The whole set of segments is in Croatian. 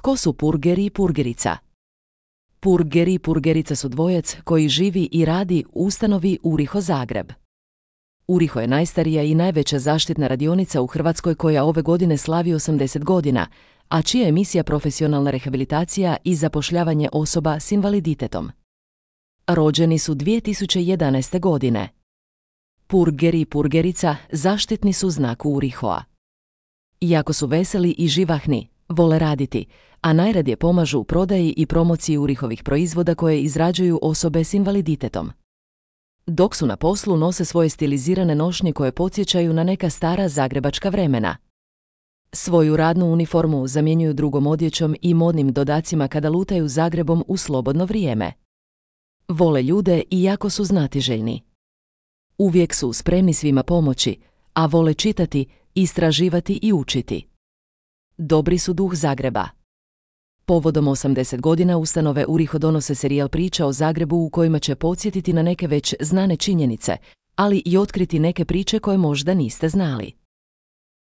Tko su purger i purgerica? Purger i purgerica su dvojac koji živi i radi u ustanovi URIHO Zagreb. URIHO je najstarija i najveća zaštitna radionica u Hrvatskoj koja ove godine slavi 80 godina, a čija je misija profesionalna rehabilitacija i zapošljavanje osoba s invaliditetom. Rođeni su 2011. godine. Purger i purgerica zaštitni su znak URIHO-a. Iako su veseli i živahni, vole raditi, a najradije pomažu u prodaji i promociji URIHO-vih proizvoda koje izrađuju osobe s invaliditetom. Dok su na poslu, nose svoje stilizirane nošnje koje podsjećaju na neka stara zagrebačka vremena. Svoju radnu uniformu zamjenjuju drugom odjećom i modnim dodacima kada lutaju Zagrebom u slobodno vrijeme. Vole ljude i jako su znatiželjni. Uvijek su spremni svima pomoći, a vole čitati, istraživati i učiti. Dobri su duh Zagreba. Povodom 80 godina ustanove URIHO donose serijal priča o Zagrebu u kojima će podsjetiti na neke već znane činjenice, ali i otkriti neke priče koje možda niste znali.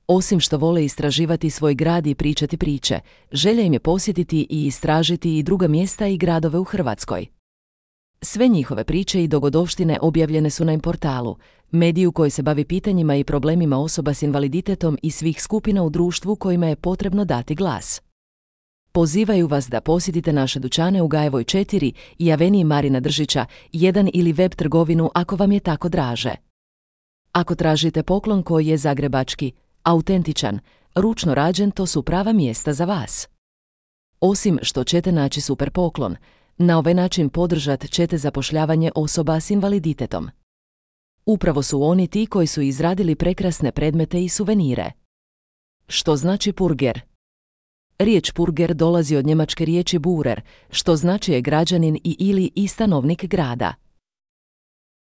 Osim što vole istraživati svoj grad i pričati priče, želja im je posjetiti i istražiti i druga mjesta i gradove u Hrvatskoj. Sve njihove priče i dogodovštine objavljene su na portalu, mediju koji se bavi pitanjima i problemima osoba s invaliditetom i svih skupina u društvu kojima je potrebno dati glas. Pozivaju vas da posjetite naše dućane u Gajevoj 4 i Aveniji Marina Držića 1 ili web trgovinu ako vam je tako draže. Ako tražite poklon koji je zagrebački, autentičan, ručno rađen, to su prava mjesta za vas. Osim što ćete naći super poklon, na ovaj način podržat ćete zapošljavanje osoba s invaliditetom. Upravo su oni ti koji su izradili prekrasne predmete i suvenire. Što znači purger? Riječ purger dolazi od njemačke riječi Burer, što znači je građanin i stanovnik grada.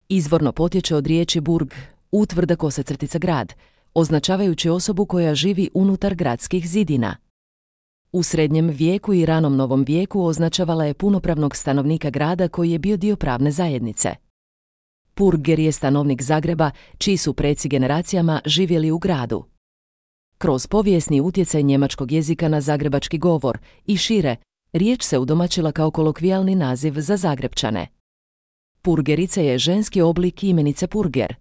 Izvorno potječe od riječi burg, utvrda / grad, označavajući osobu koja živi unutar gradskih zidina. U srednjem vijeku i ranom novom vijeku označavala je punopravnog stanovnika grada koji je bio dio pravne zajednice. Purger je stanovnik Zagreba, čiji su preci generacijama živjeli u gradu. Kroz povijesni utjecaj njemačkog jezika na zagrebački govor i šire, riječ se udomaćila kao kolokvijalni naziv za Zagrepčane. Purgerica je ženski oblik imenice purger.